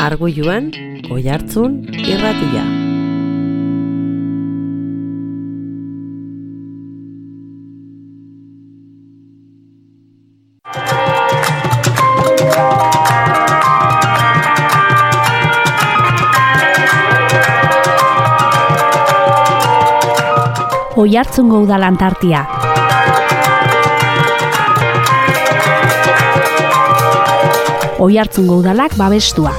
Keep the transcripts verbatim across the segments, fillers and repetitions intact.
Arguiluan, Oihartzun irratia. Oihartzungo Udal Antartia. Oihartzungo Udalak babestua.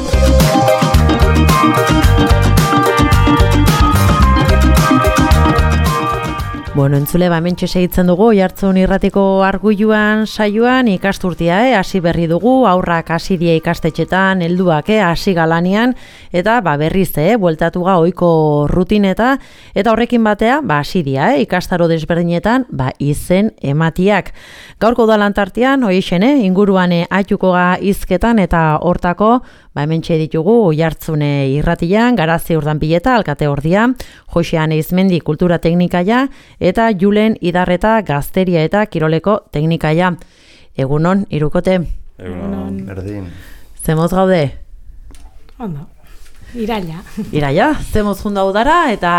Bueno, entzule, ba, mentxe segitzen dugu, Oihartzun irratiko Arguiluan saioan ikasturtia, eh? Hasi berri dugu, aurrak hasi die ikastetxetan, helduak, eh? Hasi galanian, eta ba, berriz, eh? Bueltatu ga ohiko rutineta, eta horrekin batea, ba, hasi dia, eh? Ikastaro desberdinetan, ba, izen ematiak. Gaurko Udal Antartian, hoixen, eh? Inguruan eh, aituko ga hizketan, eta hortako, ba, hementxe ditugu Oihartzune irratian, Garazi Urdanpileta, alkate ordia, Joxean Eizmendi kultura teknikaia, eta Julen Idarreta gazteria eta kiroleko teknikaia. Egunon, irukote? Egunon, berdin. Zemoz gaude? Ondo, iraila. Iraila, zemoz junda udara eta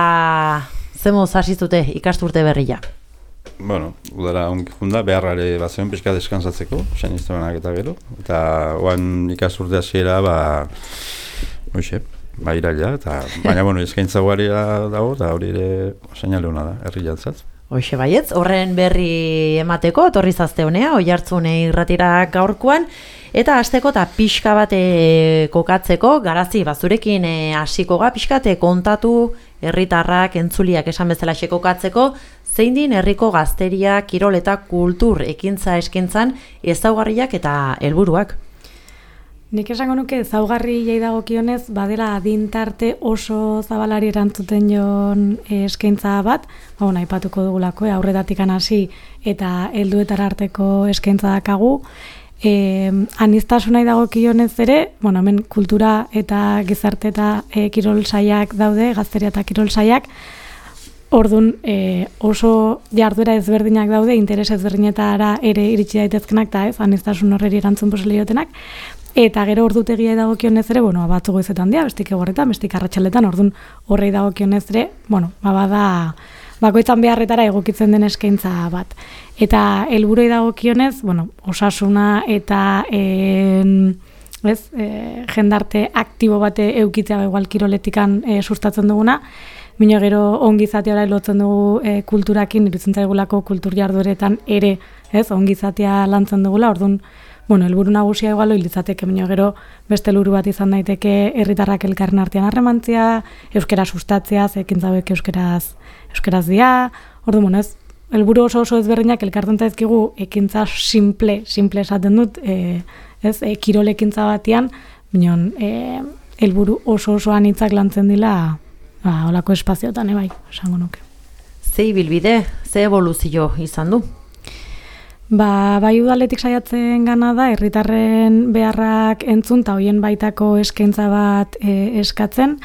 zemoz hasizute ikasturte berria. Bueno, udara ongi junda, beharrare bat zen pixka deskansatzeko, sain iztemenak eta gero. Eta oan ikasturte hasiera, ba, hoxe, ba, iraila, eta baina, bueno, eskaintza guaria dago, eta hori ere seinale hona da, herri jantzat. Hoxe baietz, horren berri emateko, etorri zazte honea, Oihartzune irratira gaurkoan, eta hasteko eta pixka bate kokatzeko, Garazi, bazurekin hasiko ga, pixka te kontatu herritarrak, entzuliak esan bezala kokatzeko, zein din herriko gazteria, kirol eta kultur ekintza eskintzan ezaugarriak eta helburuak. Nik esango nuke ezaugarriei dagokionez badela adintarte oso zabalari erantzuten jon eskaintza bat, ba, bueno, aipatuko dugulako, eh, aurretatik hasi eta helduetara arteko eskaintza dakagu. Eh, aniztasunai dagokionez ere, bueno, hemen kultura eta gizarte eta eh, kirol saiak daude, gazteria eta kirol saiak. Ordun e, oso jarduera ezberdinak daude, interes ezberdinetara ere iritsi daitezkenak eta ez, aniztasun horreri erantzun posibilitatenak. Eta gero ordutegia dagokionez ere, bueno, batzu goizetan dira, bestik eguerretan, bestik arratsaletan, ordun horrei dagokionez ere, bueno, ba bada bakoitzan beharretara egokitzen den eskaintza bat. Eta helburuei dagokionez, bueno, osasuna eta en, ez, e, jendarte aktibo bate eukitzea igual kiroletikan e, sustatzen duguna. Bino gero ongizatea lotzen dugu e, kulturakin, iruditzen zaigulako kultur jardueretan ere, ez, ongizatea lantzen dugula, orduan, bueno, helburu nagusia igual litzateke, bino gero beste helburu bat izan daiteke herritarrak elkarren artean harremantzea, euskera sustatzea, zekin zauek euskeraz, euskeraz dia, orduan, bueno, ez, helburu oso oso ezberdinak elkartzen zaizkigu ekintza simple, simple esaten dut, e, ez, e, kirol ekintza batean, bino, e, helburu oso oso anitzak lantzen dila, ba, holako espazioetan, bai, esango nuke. Ze ibilbide, ze evoluzio izan du? Ba, bai udaletik saiatzen gana da, herritarren beharrak entzun, eta hoien baitako eskaintza bat e, eskatzen,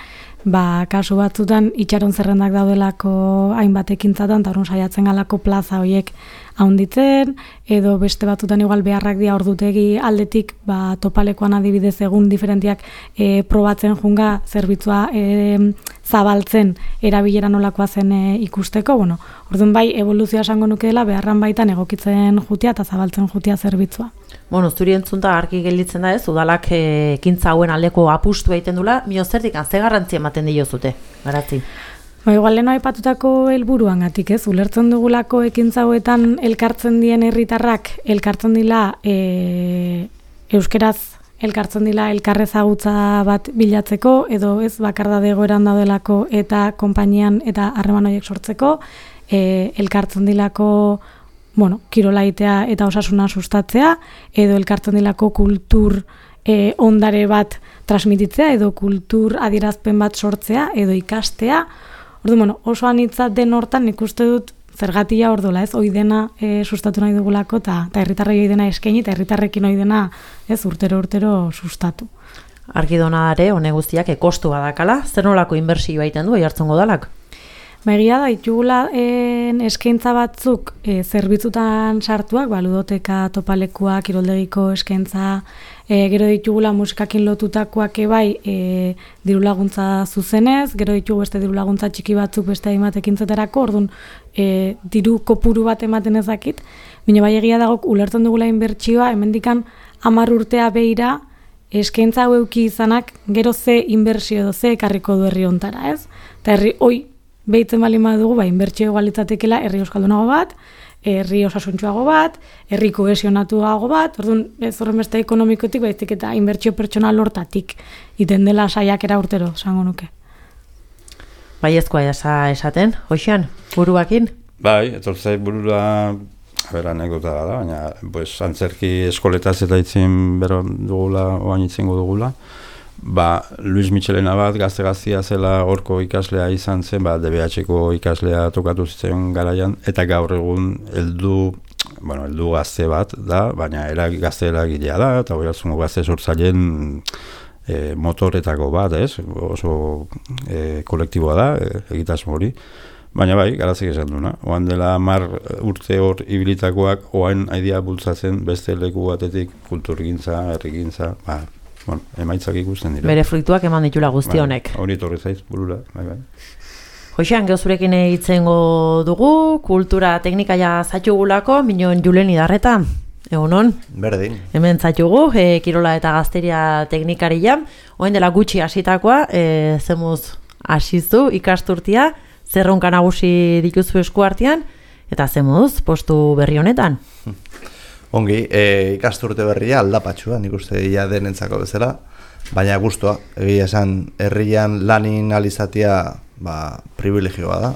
ba, kasu batzutan itxaron zerrendak daudelako hainbat ekintzatan, eta horren saiatzen galako plaza horiek haunditzen, edo beste batzutan igual beharrak dia ordutegi aldetik, ba, topalekoan adibidez egun diferentiak e, probatzen junga zerbitzua e, zabaltzen erabilera nolakoa zen e, ikusteko, bueno, orduan bai evoluzioa esango nuke dela beharran baitan egokitzen jutia eta zabaltzen jutia zerbitzua. Bueno, zuri entzunta argi gelditzen da ez, udalak ekintza hauen aldeko apustu egiten dula, mio zertik, ze garrantzi ematen diozute, Garazi? Ba, igual leno aipatutako helburuangatik, ez, ulertzen dugulako ekintza hauetan elkartzen dien herritarrak, elkartzen dila e, euskeraz elkartzen dila elkarrezagutza bat bilatzeko, edo ez bakardade egoeran daudelako eta konpainian eta harreman horiek sortzeko, e, elkartzen dilako, bueno, kirolaitea eta osasuna sustatzea, edo elkartzen dilako kultur e, ondare bat transmititzea, edo kultur adierazpen bat sortzea, edo ikastea. Ordu, bueno, oso anitza den hortan nik uste dut zergatia ordola, ez, hoi dena e, sustatu nahi dugulako, eta herritarrei hoi dena eskaini, eta herritarrekin hoi dena, ez, urtero-urtero sustatu. Argi dona ere, hone guztiak ekostu badakala, zer nolako inbertsioa egiten du Oihartzungo Udalak? Ba, egia da, ditugula en, eskaintza batzuk e, zerbitzutan sartuak, ba, ludoteka, topalekua, kiroldegiko eskaintza, e, gero ditugula musikakin lotutakoak ebai e, diru laguntza zuzenez, gero ditugu beste diru laguntza txiki batzuk beste hainbat ekintzetarako, orduan e, diru kopuru bat ematen ezakit, baina bai egia dago ulertzen dugula inbertsioa, hemendikan hamar urtea beira, eskaintza hau euki izanak, gero ze inbertsio edo ze ekarriko du herri hontara, ez? Eta herri, oi, behitzen bali dugu, ba, inbertsio egalitzatekela herri euskaldunago bat, herri osasuntxoago bat, herri kohesionatuago bat, orduan ez horren beste ekonomikotik, baizik eta inbertsio pertsonal hortatik, iten dela saiakera urtero, esango nuke. Baiezkoa esa esaten, Joxean, buruakin? Bai, etortzai burura, a ber, anekdota da, baina, pues, antzerki eskoletaz eta itzin bero dugula, oain itzingo dugula, ba, Luis Michelena bat gazte-gaztia zela horko ikaslea izan zen, ba, D B H-ko ikaslea tokatu zitzen garaian, eta gaur egun heldu, bueno, heldu gazte bat da, baina era gazte eragilea da, eta Oiartzungo gazte sortzaileen e, motoretako bat, ez? Oso e, kolektiboa da, e, egitasmo hori. Baina bai, garazik esan duna. Oan dela mar urte hor ibilitakoak, oain aidea bultzatzen beste leku batetik kulturgintza, herrigintza, ba, bueno, emaitzak ikusten dira. Bere fruituak eman ditula guzti honek. Bai, hori torri zaiz, burura, bai, bai. Joxean, geuzurekin hitzengo dugu, kultura teknikaia zatxugulako, minon Julen Idarreta, egunon? Berdin. Hemen zatxugu, e, kirola eta gazteria teknikaria, oen dela gutxi hasitakoa, e, zemuz hasizu ikasturtia, zerronka nagusi dituzu eskuartean, eta zemuz postu berri honetan. Ongi, e, ikasturte berria aldapatxua, nik uste ja denentzako bezala, baina guztua, egia esan, herrian lanin alizatia, ba, privilegioa da.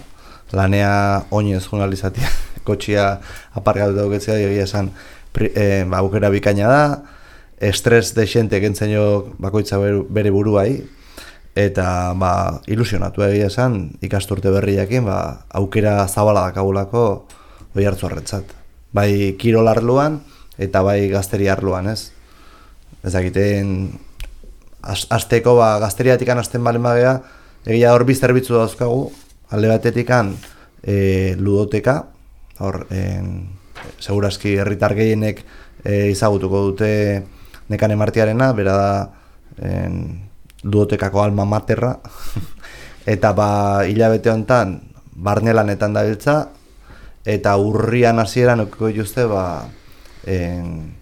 Lanea oinez jun alizatia, kotxia aparkatu dauketzea, egia esan, pri, e, ba, aukera bikaina da, estres de xente kentzen jo bakoitza bere buruai, eta ba, ilusionatu egia esan, ikasturte berriakin, ba, aukera zabala dakagulako Oiartzunarrentzat. Bai kirol arloan eta bai gazteria arloan, ez? Ez dakiten asteko ba gazteriatikan hasten balen bagea, egia hor bi zerbitzu dauzkagu, alde batetikan e, ludoteka, hor en, segurazki herritar gehienek e, izagutuko dute Nekane Martiarena, bera da en, ludotekako alma materra, eta ba hilabete honetan barnelanetan dabiltza, eta urrian hasieran okiko dituzte ba, en,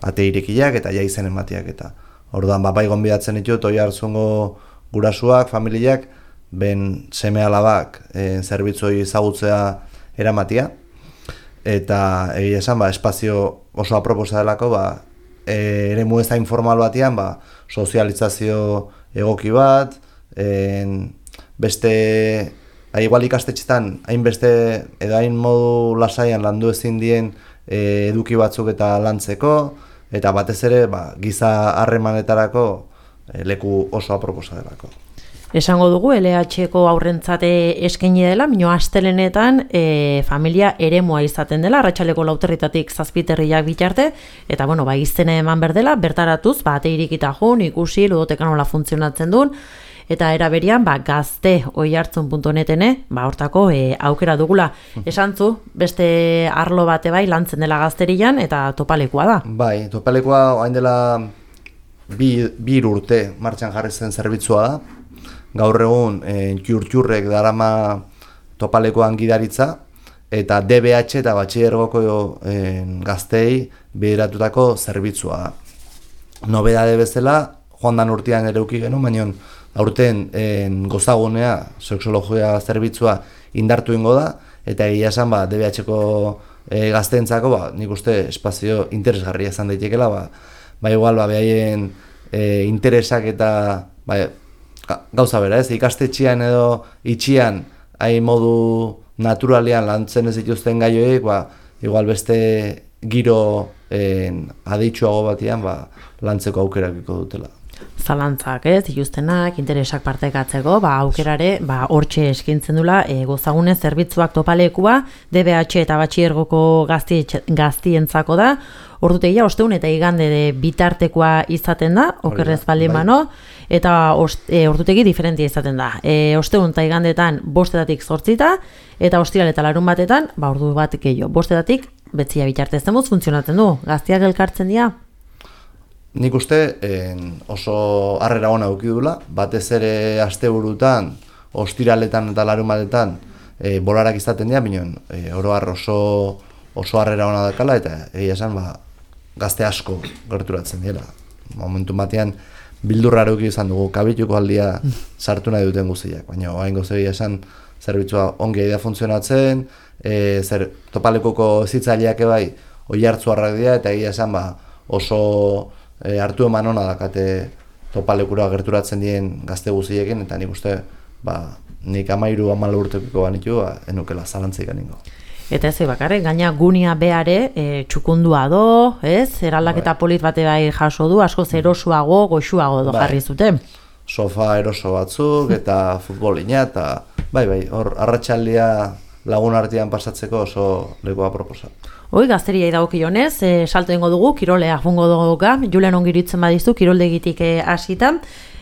ate irekiak eta jaizen ematiak eta. Orduan, ba, bai gonbidatzen ditut, Oiartzungo gurasuak, familiak, ben seme alabak en, zerbitzoi ezagutzea eramatia. Eta egia esan, ba, espazio oso aproposa delako, ba, e, ere mueza informal batean, ba, sozializazio egoki bat, en, beste... Ha, igual ikastetxetan, hainbeste edo hain modu lasaian landu ezin dien e, eduki batzuk eta lantzeko, eta batez ere ba, giza harremanetarako e, leku oso aproposa delako. Esango dugu, L H-ko aurrentzate eskaini dela, mino astelenetan e, familia eremua izaten dela, arratsaleko lauterritatik zazpiterriak bitarte, eta bueno, ba, izene eman berdela, bertaratuz, ba, ate irikita jun, ikusi, ludotekan nola funtzionatzen duen, eta era berian, ba, gazte oiartzun puntu netene, ba, hortako e, aukera dugula. Esantzu, beste arlo bate bai lantzen dela gazterian, eta topalekoa da. Bai, topalekoa hain dela bi, bi urte martxan jarri zen zerbitzua da. Gaur egun, e, txur-txurrek darama topalekoan gidaritza, eta D B H eta batxilergoko e, gaztei bideratutako zerbitzua da. Nobedade bezala, joan dan urtean ere uki genuen, baina aurten en, gozagunea, sexologia zerbitzua indartu ingo da, eta egia esan ba, D B H-ko e, gazteentzako, ba, nik uste espazio interesgarria izan daitekela, ba, ba igual, ba, behaien e, interesak eta ba, gauza bera, ez, ikastetxean edo itxian, hain modu naturalean lantzen ez dituzten gaioek, ba, igual beste giro en, aditsuago batean ba, lantzeko aukerakiko dutela. Zalantzak, ez, dituztenak, interesak partekatzeko, ba, aukerare, ba, hortxe eskintzen dula, e, gozagune zerbitzuak topalekua, D B H eta batxiergoko gaztientzako da, ordutegia ostegun eta igande de bitartekoa izaten da, okerrez baldin bai. bano, eta ost, e, ordutegi diferentia izaten da. E, ostegun eta igandetan bostetatik zortzita, eta ostiral eta larun batetan, ba, ordu bat gehiago. Bostetatik betzia bitarte zemuz funtzionatzen du. Gaztiak elkartzen dira? Nik uste en, oso harrera ona eduki dula, batez ere asteburutan, ostiraletan eta larun batetan e, bolarak izaten dira, bineon, e, oro har oso, oso harrera ona dakala, eta egia esan, ba, gazte asko gerturatzen dira. Momentu batean, bildurra eduki izan dugu, kabituko aldia sartu nahi duten guztiak, baina hain egia esan, zerbitzua ongi da funtzionatzen, e, zer topalekoko zitzaileak ebai oi hartzuarrak dira, eta egia esan ba, oso e, hartu eman ona dakate topalekura gerturatzen dien gazte guztiekin, eta nik uste ba, nik amairu amala urtekiko banitu, ba, enukela zalantzik aningo. Eta ez bakarrik, gaina gunia beare e, txukundua do, ez? Eraldaketa bai. polit bate bai jaso du, asko zerosuago, goxuago do bai. jarri zuten. Sofa eroso batzuk eta futbolina, eta bai, bai, hor arratsaldia lagun artean pasatzeko oso lekoa proposa. Hoi, gazteriai dagokionez, e, salto ingo dugu, kirolea fungo dugu, Julen ongiritzen badizu, kiroldegitik e, hasitan,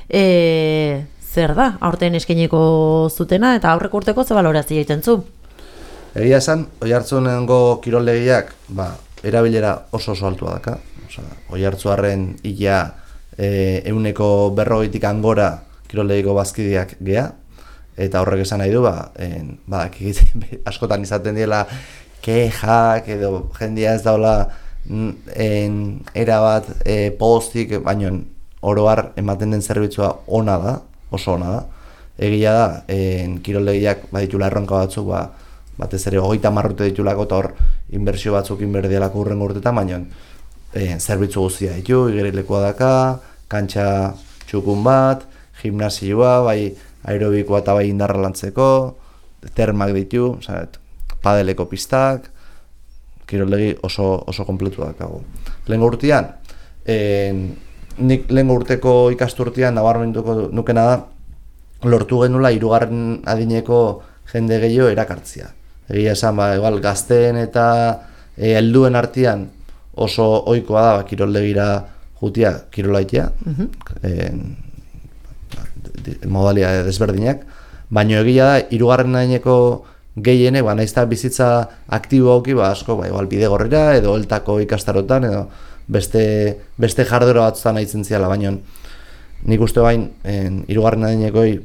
e, zer da, aurten eskainiko zutena, eta aurreko urteko ze balorazio egiten zu? Egia esan, Oiartzunengo kiroldegiak, ba, erabilera oso oso altua daka. Osea, Oiartzuarren ia e, euneko berrogeitik angora kiroldegiko bazkideak gea, eta horrek esan nahi du, ba, en, ba, askotan izaten diela kexak edo jendia ez daula en, erabat e, postik, baino oroar ematen den zerbitzua ona da, oso ona da. Egia da, en, kiroldegiak baditula erronka batzuk, ba, batez ere hogeita marrute ditulako eta hor inbertsio batzuk inberdialako urrengo urtetan, baina e, zerbitzu guztia ditu, igerilekoa daka, kantxa txukun bat, gimnasioa, bai aerobikoa eta bai indarra lantzeko, termak ditu, oza, padeleko pistak, kiroldegi oso, oso kompletu dakago. Lehengo urtean, e, nik lehengo urteko ikasturtean nabarmenduko nukena da, lortu genula hirugarren adineko jende gehiago erakartzia. Egia esan, ba, igual, gazteen eta e, helduen artean oso ohikoa da, ba, kiroldegira jutia kirolaitea, uh-huh. e, modalia desberdinak, baina egia da, hirugarren adineko gehienek, ba, naizta bizitza aktibo hauki, ba, asko, ba, igual, bidegorrera, edo eltako ikastarotan, edo beste, beste jardura batzutan nahitzen ziala, baina nik uste bain, hirugarren adinekoi,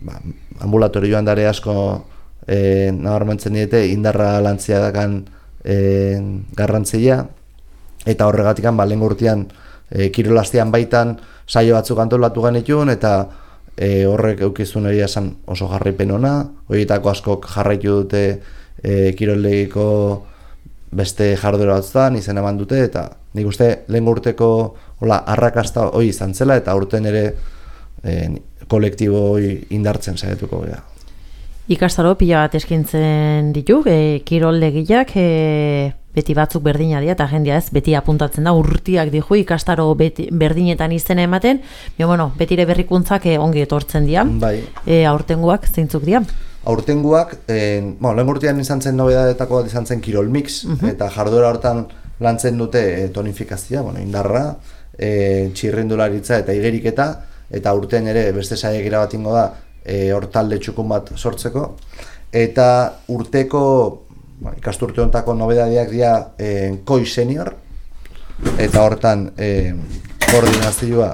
ba, ambulatorioan dare asko e, nabarmentzen diete indarra lantzia dakan e, garrantzia, eta horregatikan ba, lehen urtean e, kirolastian baitan saio batzuk antolatu genituen, eta e, horrek eukizun egia esan oso jarraipen ona, horietako askok jarraitu dute e, kirollegiko beste jardura batzutan izen eman dute, eta nik uste lehen urteko hola, arrakasta hori izan zela, eta urten ere e, kolektibo indartzen saiatuko gara. Ikastaro pila bat eskintzen ditu, e, kiroldegiak e, beti batzuk berdina dira, eta jendea ez, beti apuntatzen da, urtiak dihu ikastaro beti, berdinetan izena ematen, bio, bueno, betire berrikuntzak e, ongi etortzen dira, bai. e, aurtengoak zeintzuk dira? Aurtengoak, e, bueno, lehen urtean izan zen nobedadetako bat izan zen kirol mix, uh-huh. eta jarduera hortan lantzen dute e, tonifikazioa, bueno, indarra, e, txirrindularitza eta igeriketa, eta urtean ere beste saiakera bat ingo da e, hortalde txukun bat sortzeko, eta urteko ba, ikasturte hontako nobedadeak dira e, koi senior, eta hortan e, koordinazioa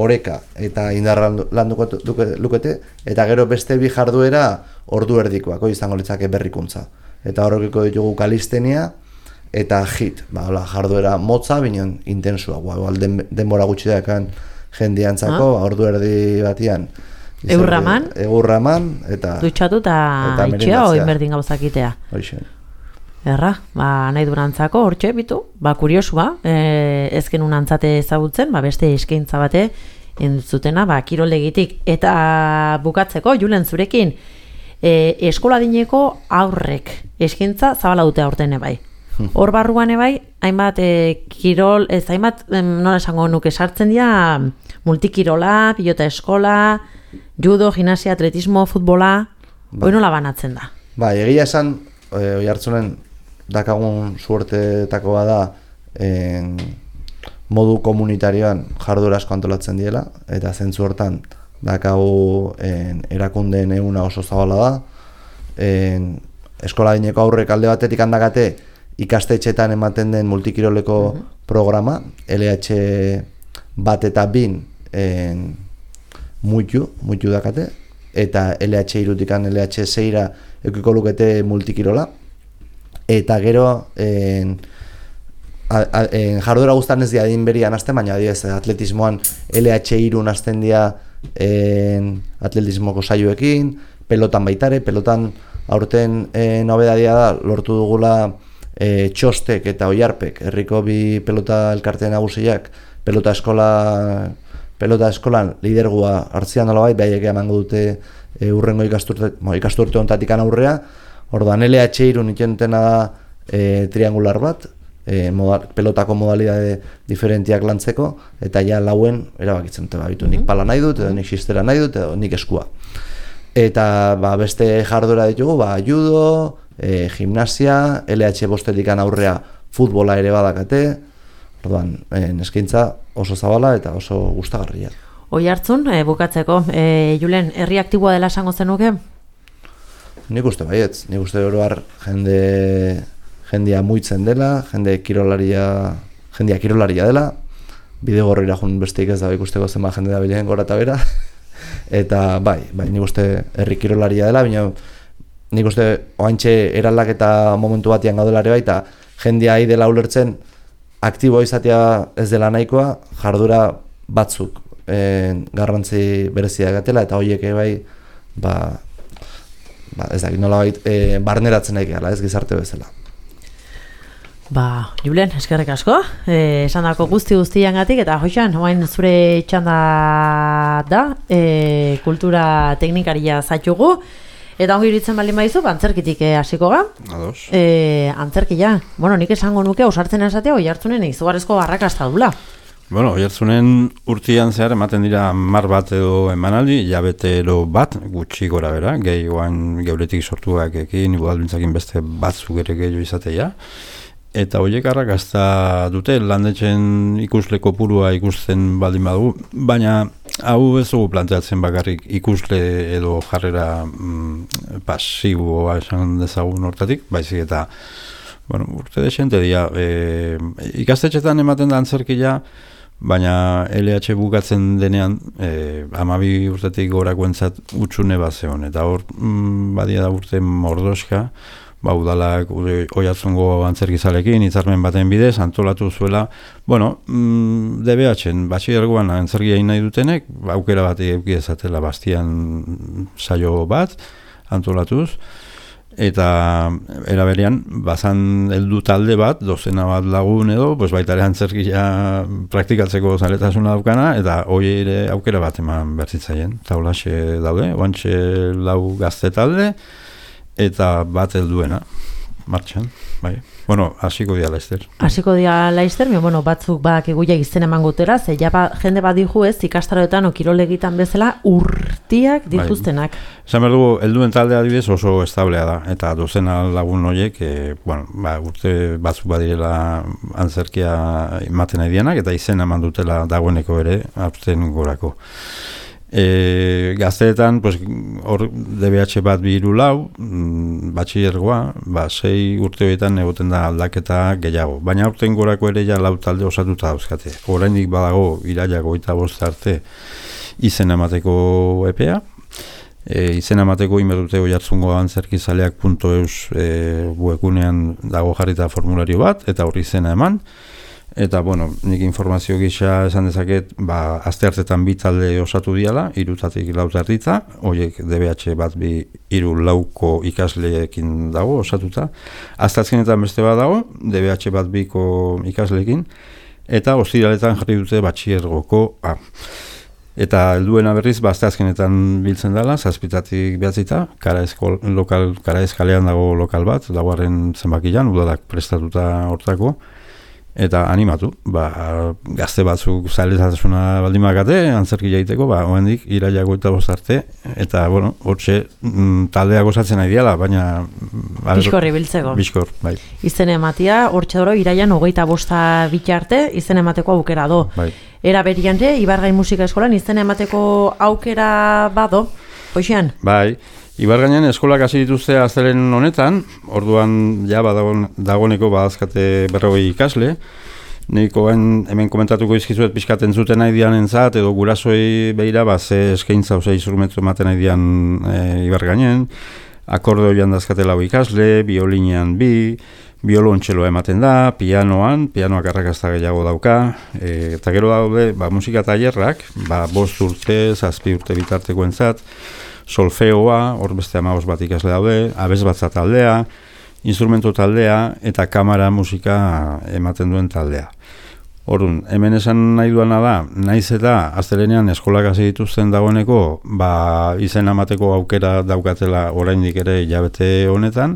oreka eta indarra landuko lukete, eta gero beste bi jarduera ordu erdikoak, izango litzake berrikuntza, eta horrekiko ditugu kalistenia eta hit, ba, hola, jarduera motza, binen intensua, ba, den, denbora gutxi dakan jendiantzako, ah. ordu erdi batian. Eurraman? Eurraman, eta... Dutxatu eta itxea, oin berdin gauzakitea. Hoxe. Erra, ba, nahi durantzako, hortxe, bitu, ba, kuriosua, e, ezken unantzate ezagutzen, ba, beste eskaintza bate, entzutena, ba, kiroldegitik. Eta bukatzeko, Julen, zurekin, e, eskoladineko aurrek eskaintza zabala dute aurten bai. Hor barruan ebai, hainbat e, kirol, ez hainbat, em, nola esango nuke sartzen dira, multikirola, pilota eskola, judo, gimnasia, atletismo, futbola, ba. Hoi nola banatzen da? Ba, egia esan, e, Oiartzunen dakagun suertetakoa da, en, modu komunitarioan jardura asko antolatzen diela, eta zentzu hortan dakagu en, erakundeen eguna oso zabala da. En, eskola dineko aurrek alde batetik handakate ikastetxetan ematen den multikiroleko uh-huh. programa, L H bat eta bin en, muitu, muitu dakate, eta L H irutikan L H seira eukiko lukete multikirola, eta gero en, a, a, en, jardura guztan ez dia din berian azten, baina adibidez atletismoan L H irun azten dia en, atletismoko saioekin, pelotan baitare, pelotan aurten e, nobedadia da, lortu dugula e, txostek eta oiarpek, herriko bi pelota elkarteen nagusiak, pelota eskola pelota eskolan lidergua hartzian nolabait, behaiek emango dute e, urrengo ikasturte, mo, ikasturte ontatik aurrea, orduan L H irun itxentena da e, triangular bat, e, modal, pelotako modalidade diferentiak lantzeko, eta ja lauen erabakitzen dute, babitu, nik pala nahi dut, edo nik sistera nahi dut, edo nik eskua. Eta ba, beste jardura ditugu, ba, judo, e, gimnasia, L H bostetikan aurrea futbola ere badakate, orduan, e, eskaintza oso zabala eta oso gustagarria. Oi hartzun, e, bukatzeko, e, Julen, herri aktiboa dela esango zenuke? Nik uste baietz, nik uste oroar jende, jendia muitzen dela, jende kirolaria, jendia kirolaria dela, bidegorrira jun besteik ez da ikusteko zenba jende da bilen gora eta bera, eta bai, bai, nik uste herri kirolaria dela, baina nik uste oantxe eraldaketa momentu batian gaudelare bai, eta jendia ahi dela ulertzen aktiboa izatea ez dela nahikoa, jardura batzuk e, garrantzi berezia gatela, eta horiek bai, ba, ba, ez dakit nola bait, e, barneratzen nahi gala, ez gizarte bezala. Ba, Julen, eskerrik asko, eh, esan dako guzti guztiangatik, eta Joxan, oain zure txanda da, eh, kultura teknikaria zaitugu, eta ongi iritzen baldin baizu, antzerkitik hasiko ga. Ados. Eh, antzerkia, bueno, nik esango nuke, ausartzen esatea, oi hartzunen izugarrizko barrakasta dula. Bueno, oihartzunen urtean zehar ematen dira mar bat edo emanaldi, jabetero bat, gutxi gora bera, gehioan geuretik sortuak ekin, igualdintzakin beste batzuk ere gehiago izatea. Eta horiek arrakasta dute, landetxen ikusle kopurua ikusten baldin badugu, baina hau ez dugu planteatzen bakarrik ikusle edo jarrera mm, pasiboa esan dezagun hortatik, baizik eta bueno, urte desente dira, e, ikastetxetan ematen da antzerkia, baina L H bukatzen denean e, hamabi urtetik gorakoentzat utxune bat zeon, eta hor mm, badia da urte mordoska, ba, udalak Oiartzungo antzerkizalekin hitzarmen baten bidez antolatu zuela, bueno, mm, D B H-en batxilergoan antzerkia egin nahi dutenek, aukera bat eduki dezatela Bastian saio bat antolatuz, eta era berean bazan heldu talde bat, dozena bat lagun edo, pues baita ere antzerkia praktikatzeko zaletasuna daukana, eta hori ere aukera bat eman bertzitzaien, eta holaxe daude, oantxe lau gazte talde, eta bat helduena martxan, bai. Bueno, hasiko dira Laister. Hasiko dira Laister, bueno, batzuk badakigu ja izten eman gutera, ze ja ba, jende bat dihu ez, ikastaroetan o kirolegitan bezala urtiak dituztenak. Bai. Esan behar dugu, helduen taldea adibidez oso establea da, eta dozena lagun horiek, e, bueno, ba, urte batzuk badirela antzerkia ematen nahi dianak, eta izena eman dutela dagoeneko ere, aurten gorako. E, gazteetan, pues, hor D B H bat bi hiru lau, mm, batxilergoa, ba, sei urte horietan egoten da aldaketa gehiago. Baina aurten gorako ere ja lau talde osatuta dauzkate. Oraindik badago irailak hogeita bost arte izen emateko epea. E, izen emateko inberdute Oiartzungo antzerkizaleak puntu eus e, webgunean dago jarrita formulario bat, eta hori izena eman. Eta, bueno, nik informazio gisa esan dezaket, ba, aste hartetan bi talde osatu diala, irutatik lauta erditza, horiek D B H bat bi hiru lauko ikasleekin dago osatuta. Aztazkenetan beste bat dago, D B H bat biko ikasleekin, eta ostiraletan jarri dute batxiergoko A. Eta helduena berriz, ba, azteazkenetan biltzen dela, zazpitatik behatzita, Karaezko lokal, Karaez kalean dago lokal bat, dagoaren zenbakian, udalak prestatuta hortako, eta animatu, ba, gazte batzuk zailetasuna baldin bakate, antzerki jaiteko, ba, oendik iraiako eta bostarte, eta, bueno, hortxe mm, taldeak osatzen nahi diala, baina... Bizkorri biltzeko. Bizkor, bai. Izen ematia, hortxe doro, iraian hogeita bosta bitarte, izen emateko aukera do. Bai. Era berian ere, Ibargain Musika Eskolan, izen emateko aukera bado, hoxean? Bai. Ibargainen eskolak hasi dituzte aztelen honetan, orduan ja badagon, dagoneko badazkate berrogei ikasle. Niko hemen komentatuko izkizuet pixkaten zuten nahi dian entzat, edo gurasoi behira, ba, ze eskaintza ozei instrumentu ematen nahi dian e, Ibargainen. Akordeoian dazkate lau ikasle, biolinean bi, biolontxeloa ematen da, pianoan, pianoak arrakazta gehiago dauka, e, eta gero daude, ba, musika tailerrak, ba, bost urte, zazpi urte bitarteko entzat, solfeoa, hor beste hamabost bat ikasle daude, abesbatza taldea, instrumento taldea eta kamara musika ematen duen taldea. Orduan, hemen esan nahi duana da, naiz eta astelenean eskolak hasi dituzten dagoeneko, ba, izen emateko aukera daukatela oraindik ere hilabete honetan,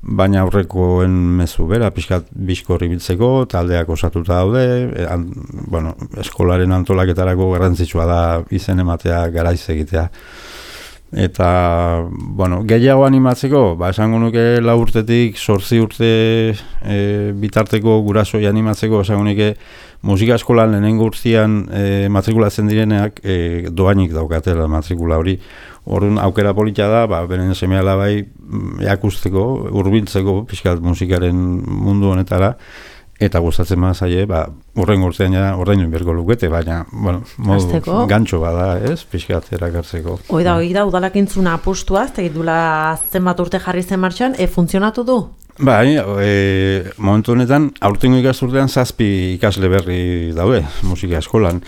baina aurrekoen mezu bera, pixkat bizkorri biltzeko, taldeak osatuta daude, e, an, bueno, eskolaren antolaketarako garrantzitsua da izen ematea, garaiz egitea. Eta, bueno, gehiago animatzeko, ba, esango nuke lau urtetik, zortzi urte e, bitarteko gurasoi animatzeko, esango nuke musika eskolan lehenengo urtean e, matrikulatzen direneak e, doainik daukatela matrikula hori. Orduan aukera polita da, ba, beren seme alabai eakusteko, hurbiltzeko pixkat musikaren mundu honetara, eta gustatzen bada zaie, ba, urrengo urtean ja ordaindu berko lukete, baina, bueno, modu gantxo bada, ez, pixkat erakartzeko. Hoi da, hoi da, udalak intzuna apustua, ez dula zenbat urte jarri zen martxan, e, funtzionatu du? Bai, e, momentu honetan, aurtengo ikasturtean zazpi ikasle berri daude, musika eskolan.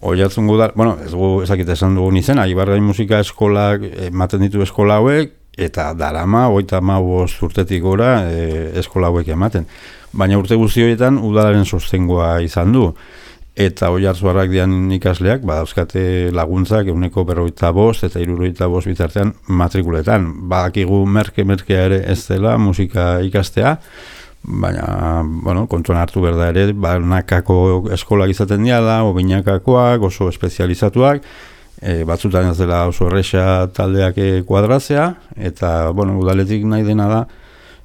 Oiatzen gu da, bueno, ez gu ezakit esan dugun izena, Ibargain Musika Eskolak ematen ditu eskola hauek, eta darama, oita mabost urtetik gora e, eskola hauek ematen. Baina urte guzti horietan udalaren sostengoa izan du. Eta oiartzuarrak dian ikasleak, badauzkate laguntzak euneko berroita bost eta hirurogeita bost bitartean matrikuletan. Badakigu merke-merkea ere ez dela musika ikastea, baina, bueno, kontuan hartu berda ere, banakako eskolak izaten diala, obinakakoak, oso espezializatuak, e, batzutan ez dela oso erresa taldeak kuadratzea, eta, bueno, udaletik nahi dena da,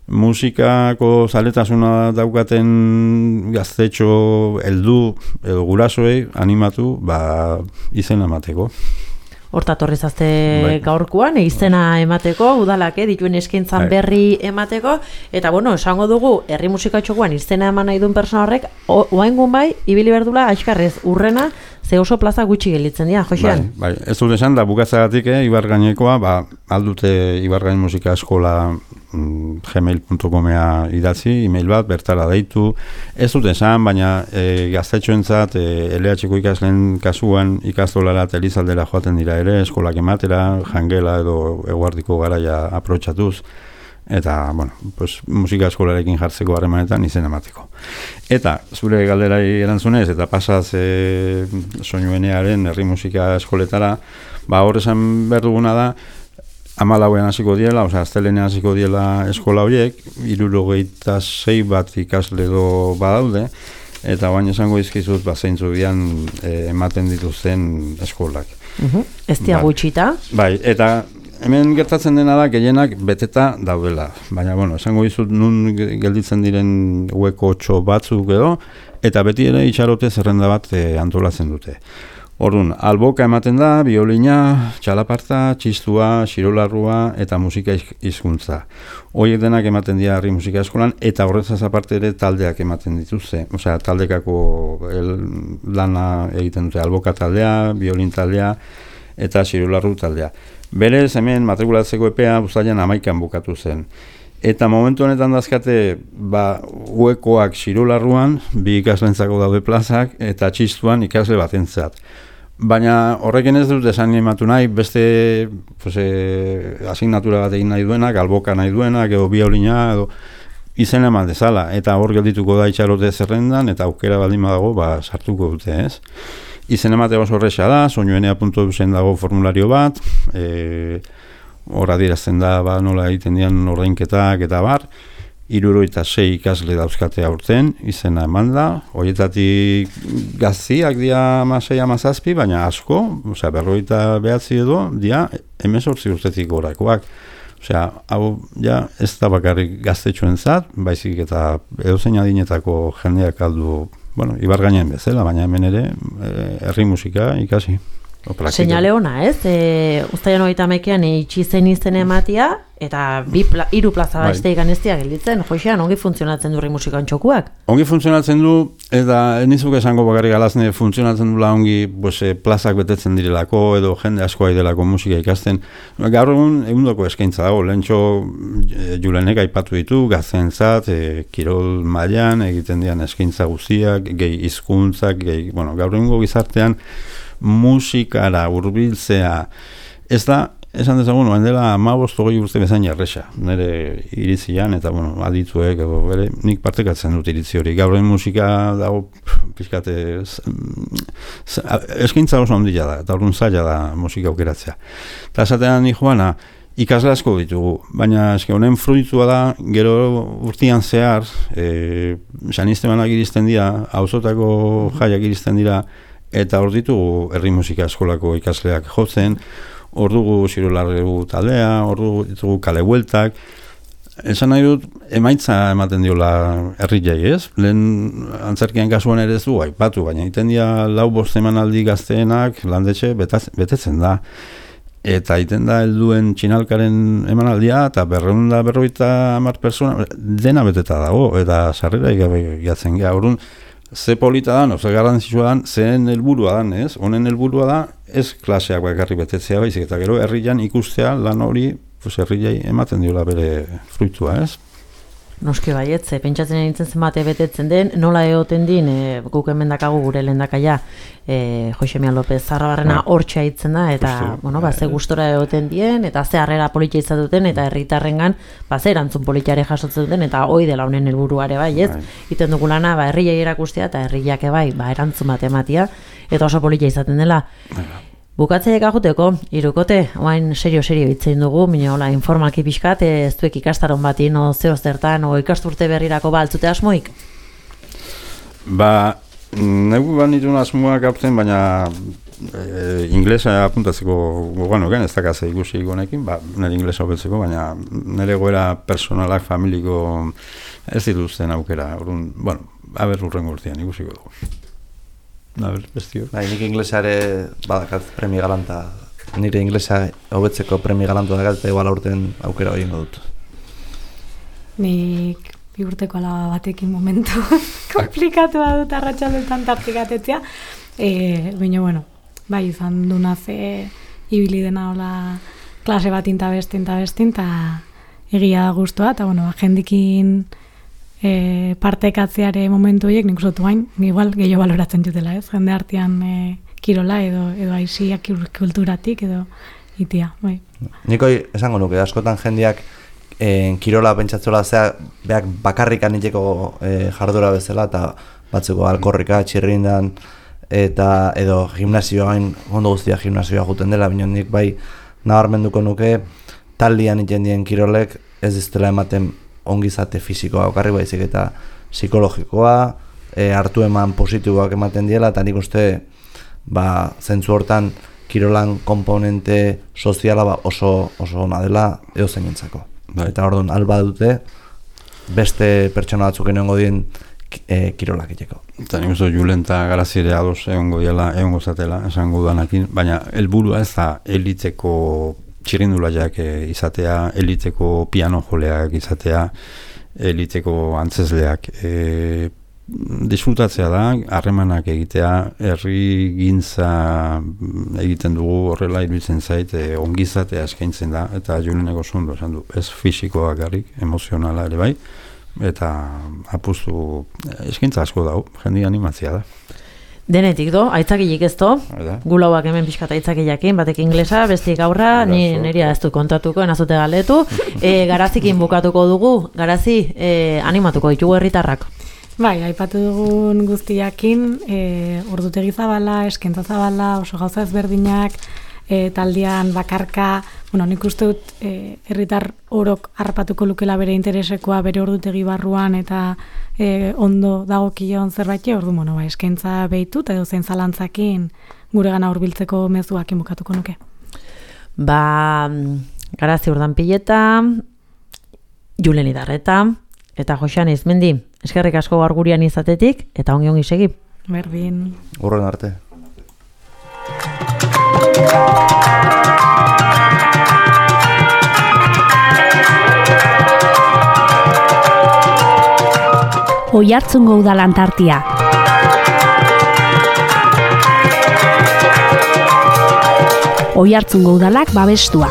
musikako zaletasuna daukaten gaztetxo heldu edo gurasoei animatu, ba, izena emateko. Hortatorri zazte bai. Gaurkoan, izena emateko, udalak, eh, dituen eskaintzan bai. Berri emateko, eta bueno, esango dugu, herri musikatxokoan izena eman nahi duen persona horrek, oaingun bai, ibili berdula, aixkarrez, urrena, ze oso plaza gutxi gelitzen dira, Josean? Bai, bai, ez dut esan, da bukatzagatik, eh, Ibargainekoa, ba, aldute Ibargain Musika Eskola mm, gmail punto comea idatzi, email bat, bertara deitu, ez dut esan, baina e, gaztetxoentzat, e, L H ko ikasleen kasuan ikastolara eta Elizaldera joaten dira ere, eskolak ematera, jangela edo eguardiko garaia aprotxatuz, eta, bueno, pues, musika eskolarekin jartzeko harremanetan izen emateko. Eta, zure galderai erantzunez, eta pasaz e, soinuenearen herri musika eskoletara, ba, hor esan behar duguna da, hamalauean hasiko diela, osea, astelenean hasiko diela eskola horiek, hirurogeita sei bat ikasle edo badaude, eta baina esango izkizut, ba, zeintzu dian e, ematen dituzten eskolak. Uh-huh. Ez dia gutxita? Bai, eta hemen gertatzen dena da, gehienak beteta daudela. Baina, bueno, esango dizut nun gelditzen diren hueko txo batzuk edo, eta beti ere itxarote zerrenda bat e, antolatzen dute. Orduan, alboka ematen da, biolina, txalaparta, txistua, xirolarrua eta musika hizkuntza. Horiek denak ematen dira herri musika eskolan, eta horrezaz aparte ere taldeak ematen dituzte. Osea, taldekako el, lana egiten dute, alboka taldea, biolin taldea eta xirolarru taldea. Berez, hemen matrikulatzeko epea uztailean hamaikan bukatu zen. Eta momentu honetan dazkate, ba, huekoak xirolarruan, bi ikaslentzako daude plazak, eta txistuan ikasle batentzat. Baina horrekin ez dut esan ematu nahi, beste pues, e, asignatura bat egin nahi duenak, alboka nahi duenak, edo biolina, edo izen eman dezala. Eta hor geldituko da itxarote zerrendan, eta aukera baldin badago, ba, sartuko dute, ez? Izen emate oso horreza da, soinuenea puntu eusen dago formulario bat, e, hor adierazten da ba, nola egiten dian ordainketak eta bar, hirurogeita sei ikasle dauzkate aurten, izena eman da, horietatik gaztiak dia hamasei hamazazpi, baina asko, osea, berrogeita behatzi edo, dia hemezortzi urtetik gorakoak. Osea, hau ja ez da bakarrik gaztetxoentzat, baizik eta edozein adinetako jendeak aldu, bueno, Ibargainean bezala, baina hemen ere herri musika ikasi. Seinale ona, ez? E, Uztaian hogeita hamaikean itxi zen izen ematia, eta bi pla, hiru plaza bai. Beste ikaneztia gelditzen. Joxean, ongi funtzionatzen du herri musikan txokuak? Ongi funtzionatzen du, eta nizuk esango bakarrik alazne funtzionatzen dula ongi pues, plazak betetzen direlako, edo jende asko delako musika ikasten. Gaur egun egundoko eskaintza dago, lehentxo Julenek aipatu ditu, gaztentzat, e, kirol mailan egiten dian eskaintza guztiak, gehi hizkuntzak, gehi, bueno, gaur egungo gizartean, musikara hurbiltzea ez da, esan dezagun, oen dela hamabost hogei urte bezain erresa, nire iritzian, eta bueno, adituek, edo, bere, nik partekatzen dut iritzi hori. Gaur egin musika dago, pixkate, eskaintza oso handia da, eta orduan zaila da musika aukeratzea. Eta esatean ni joana, ikasle asko ditugu, baina eske honen fruitua da, gero urtean zehar, e, sanistemanak iristen dira, auzotako jaiak iristen dira, eta hor ditugu herri musika eskolako ikasleak jotzen, hor dugu Xirolarregu taldea, hor dugu ditugu kale bueltak. Esan nahi dut, emaitza ematen diola herri jai, ez? Lehen antzerkian kasuan ere ez du aipatu, baina egiten dira lau bost emanaldi gazteenak landetxe betetzen da. Eta egiten da helduen txinalkaren emanaldia, eta berreun da berroita hamar persona, dena beteta dago, eta sarrera igatzen gara. Orduan, ze polita dan, oza garrantzitsua dan, zehen helburua dan, ez? Honen helburua da, ez klaseak bakarri betetzea baizik, eta gero herrian ikustea lan hori, pues herriai ematen diola bere fruitua, ez? Noski baietze, pentsatzen nintzen zenbate betetzen den, nola egoten din, e, guk hemen dakagu gure lehendakaia, e, Josemian López Zarrabarrena hortxe hitzen da, eta, Justo, bueno, ba, ze gustora egoten dien, eta ze harrera politia izatuten, eta herritarrengan, ba, ze erantzun politiare jasotzen duten, eta hoi dela honen helburuare bai, ez? Iten dugu lana, ba, herriai erakustea, eta herriak bai, ba, erantzun bat ematia, eta oso politia izaten dela. Bukatzeiek ajuteko, irukote, oain serio-serio hitzein dugu, mina hola, informalki pixkat, ez duek ikastaron bati, no zeo zertan, o ikasturte berrirako ba altzute asmoik? Ba, negu bat nituen asmoak aurten, baina e, inglesa apuntatzeko gogoan ogen, ez dakaz ikusi gonekin, ba, nire inglesa hobetzeko, baina nire goera personalak, familiko, ez dituzten aukera, orduan, bueno, haber urren urtean ikusiko dugu. A ver, bestio. Bai, nik inglesare badakat premi galanta. Nire inglesa hobetzeko premi galantu dakat, eta igual aurten aukera hori ingo dut. Nik bi urteko alaba batekin momentu komplikatua dut arratsaldetan tartikatetzea. E, Baina, bueno, bai izan duna ze ibili dena hola klase bat inta bestin, eta bestin, eta egia da guztua, eta bueno, jendikin E, partekatzeare momentu horiek nik uste hain, igual gehiago baloratzen jutela, ez? Jende artean e, kirola edo edo aiziak kulturatik edo itia, bai. Nikoi esango nuke, askotan jendeak e, kirola pentsatzola zea beak bakarrikan iteko e, jardura bezala, eta batzeko alkorrika, txirrindan, eta edo gimnasioain, ondo guztia gimnasioa juten dela, baina nik bai nabarmenduko nuke, taldian iten dien kirolek ez diztela ematen ongizate fisikoa okarri baizik eta psikologikoa, e, hartu eman positiboak ematen diela, eta nik uste ba, zentzu hortan kirolan komponente soziala ba, oso, oso ona dela edo zeinentzako. Bai. Eta orduan alba dute beste pertsona batzuk egongo dien e, kirolak iteko. Eta nik uste Julen eta Garazi ere ados egongo diela, egongo zatela, esango duanakin, baina helburua ez da eliteko txirrindulaiak izatea, eliteko piano joleak izatea, eliteko antzesleak. E, disfrutatzea da, harremanak egitea, herri gintza egiten dugu horrela iruditzen zait, e, ongizatea eskaintzen da, eta Juleneko zondo esan du, ez fisikoa garrik, emozionala ere bai, eta apustu eskaintza asko dago, jendi animatzea da. Denetik do, aitzakilik ez do, gulauak hemen pixkat aitzakilakin, batek inglesa, bestik aurra, ni nirea ez du kontatuko, enazute galetu, e, Garazikin bukatuko dugu, Garazi, e, animatuko ditugu herritarrak. Bai, aipatu dugun guztiakin, e, ordutegi zabala, eskentza zabala, oso gauza ezberdinak, e, taldean bakarka, bueno, nik uste dut e, herritar orok harrapatuko lukela bere interesekoa bere ordutegi barruan eta e, ondo dagokion zerbait, ordu bueno, ba, eskaintza behitu eta edo zein zalantzakin gure gana hurbiltzeko mezuak inbukatuko nuke. Ba, Garazi Urdanpileta, Julen Idarreta eta Joxan Izmendi. Eskerrik asko gaur gurean izatetik eta ongi ongi segi. Berdin. Urren arte. Oiartzungo udalantartia. Oiartzungo udalak babestua.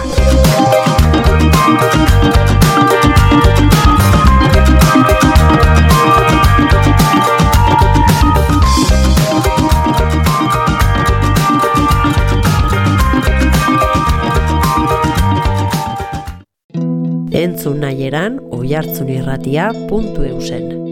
Entzun nahieran oiartzunirratia puntu eusen.